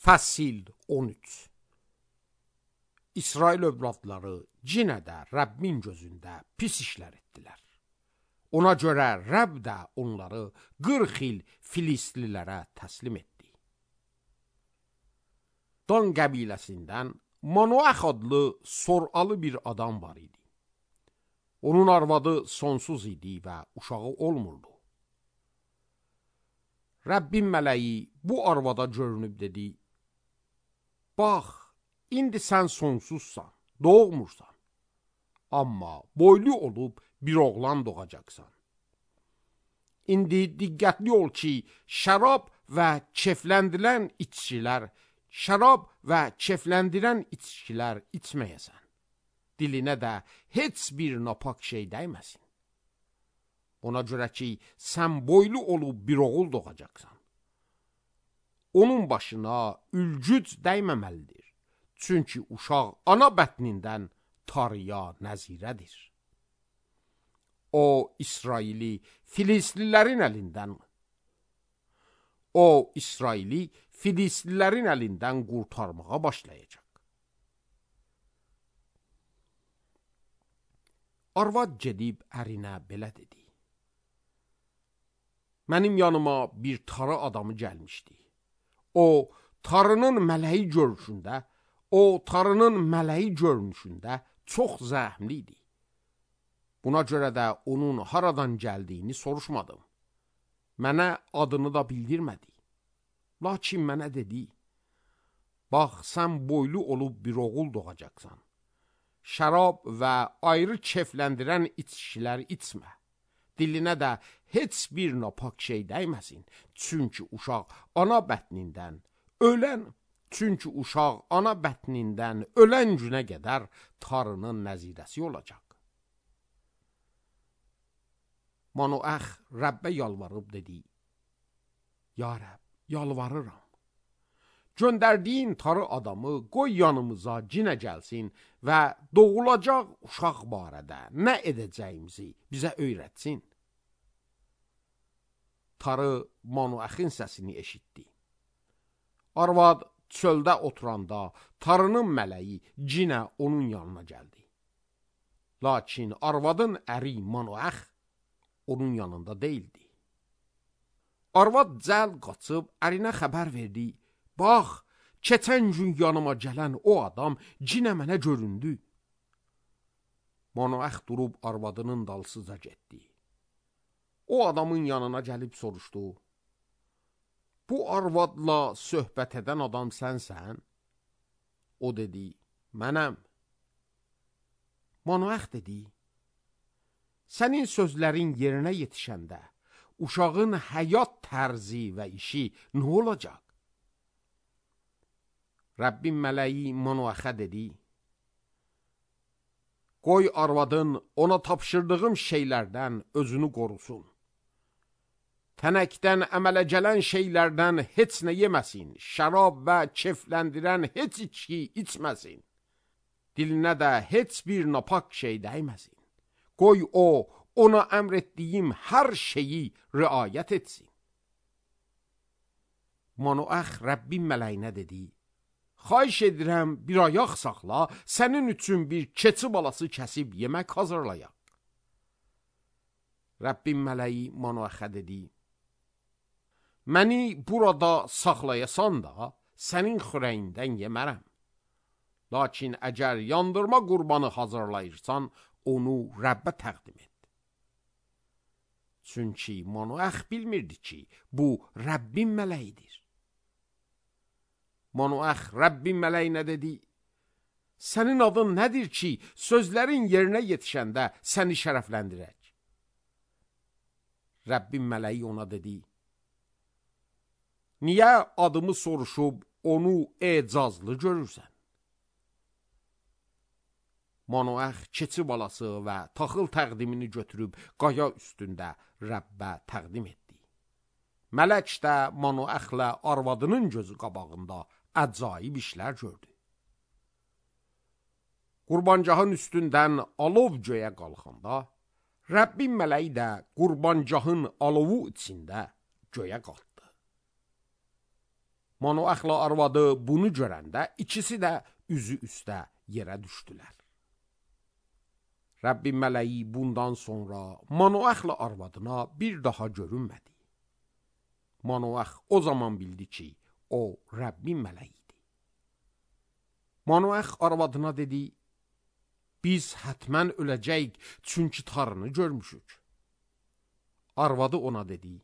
Fəsil 13. İsrail övladları yenə də Rəbbin gözündə pis işlər etdilər. Ona görə Rəbb də onları 40 il Filistlilərə təslim etdi. Dan qəbiləsindən Manoax adlı soralı bir adam var idi. Onun arvadı sonsuz idi və uşağı olmurdu. Rəbbin mələyi bu arvada görünüb dedi: Bax, indi sən sonsuzsan, doğmursan. Amma boylu olub bir oğlan doğacaqsan. İndi diqqətli ol ki, şərab və kefləndirən içkilər içməyəsən. Dilinə də heç bir napak şey dəyməsin. Ona görə ki, sən boylu olub bir oğul doğacaqsan. Onun başına ülgüc dəyməməlidir. Çünki uşaq ana bətnindən tarıya nəzirədir. O, İsraili Filistlilərin əlindən qurtarmağa başlayacaq. Arvad gedib ərinə belə dedi: Mənim yanıma bir tarı adamı gəlmişdi. O, tarının mələyi görünüşündə çox zəhmli idi. Buna görə də onun haradan gəldiyini soruşmadım. Mənə adını da bildirmədi. Lakin mənə dedi: Bax, sən boylu olub bir oğul doğacaqsan. Şərab və ayrı kefləndirən içkilər içmə. Dilinə də heç bir napak şey dəyməsin. Çünki uşaq ana bətnindən ölən günə qədər tarının nəzirəsi olacaq. Manoax Rəbbə yalvarıb dedi: Ya Rəbb, yalvarıram. Göndərdiyin tarı adamı qoy yanımıza cinə gəlsin və doğulacaq uşaq barədə nə edəcəyimizi bizə öyrətsin. Tarı Manoaxın səsini eşitdi. Arvad çöldə oturanda tarının mələyi cinə onun yanına gəldi. Lakin arvadın əri Manoax onun yanında deyildi. Arvad cəld qaçıb ərinə xəbər verdi: Bax, keçən gün yanıma gələn o adam cinə mənə göründü. Manoax durub arvadının dalsıca getdi. O adamın yanına gəlib soruşdu: Bu arvadla söhbət edən adam sənsən? O dedi: Mənəm. Manoax dedi: Sənin sözlərin yerinə yetişəndə uşağın həyat tərzi və işi nə olacaq? Rəbbin mələyi Manoaxa dedi: Qoy arvadın ona tapşırdığım şeylərdən özünü qorusun. Tənəkdən əmələ gələn şeylərdən heç nə yeməsin, şərab və kefləndirən heç içki içməsin. Dilinə də heç bir napak şey dəyməsin. Qoy o, ona əmr etdiyim hər şeyi riayət etsin. Manoax Rəbbin mələyinə dedi: Xahiş edirəm, bir ayaq saxla, sənin üçün bir keçi balası kəsib yemək hazırlayaq. Rəbbin mələyi Manoaxa dedi: Məni burada saxlayasan da, sənin xörəyindən yemərəm. Lakin əgər yandırma qurbanı hazırlayırsan, onu Rəbbə təqdim et. Çünki Manoax bilmirdi ki, bu Rəbbin mələyidir. Manoax Rəbbin mələyinə dedi: Sənin adın nədir ki, sözlərin yerinə yetişəndə səni şərəfləndirək? Rəbbin mələyi ona dedi: Niyə adımı soruşub onu ecazlı görürsən? Manoax keçi balası və taxıl təqdimini götürüb qaya üstündə Rəbbə təqdim etdi. Mələk də Manoaxla arvadının gözü qabağında əcaib işlər gördü. Qurbancahın üstündən alov göyə qalxanda, Rəbbin mələyi də qurbancahın alovu içində göyə qalxdı. Manoaxla arvadı bunu görəndə ikisi də üzü üstə yerə düşdülər. Rəbbin mələyi bundan sonra Manoaxla arvadına bir daha görünmədi. Manoax o zaman bildi ki, o Rəbbin mələyidir. Manoax arvadına dedi, biz hətmən öləcəyik, çünki tarını görmüşük. Arvadı ona dedi,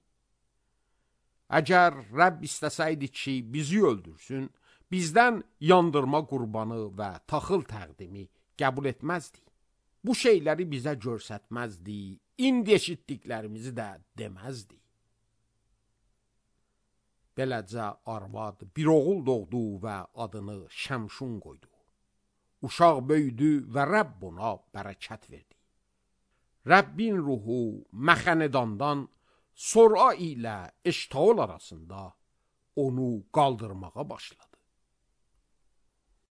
əgər Rəbb istəsəydi ki, bizi öldürsün, bizdən yandırma qurbanı və taxıl təqdimi qəbul etməzdi. Bu şeyləri bizə görsətməzdi, indi eşitdiklərimizi də deməzdi. Beləcə arvad bir oğul doğdu və adını Şəmşun qoydu. Uşaq böyüdü və Rəbb ona bərəkət verdi. Rəbbin ruhu Məxənedandan Sora ilə Eştaol arasında onu qaldırmağa başladı.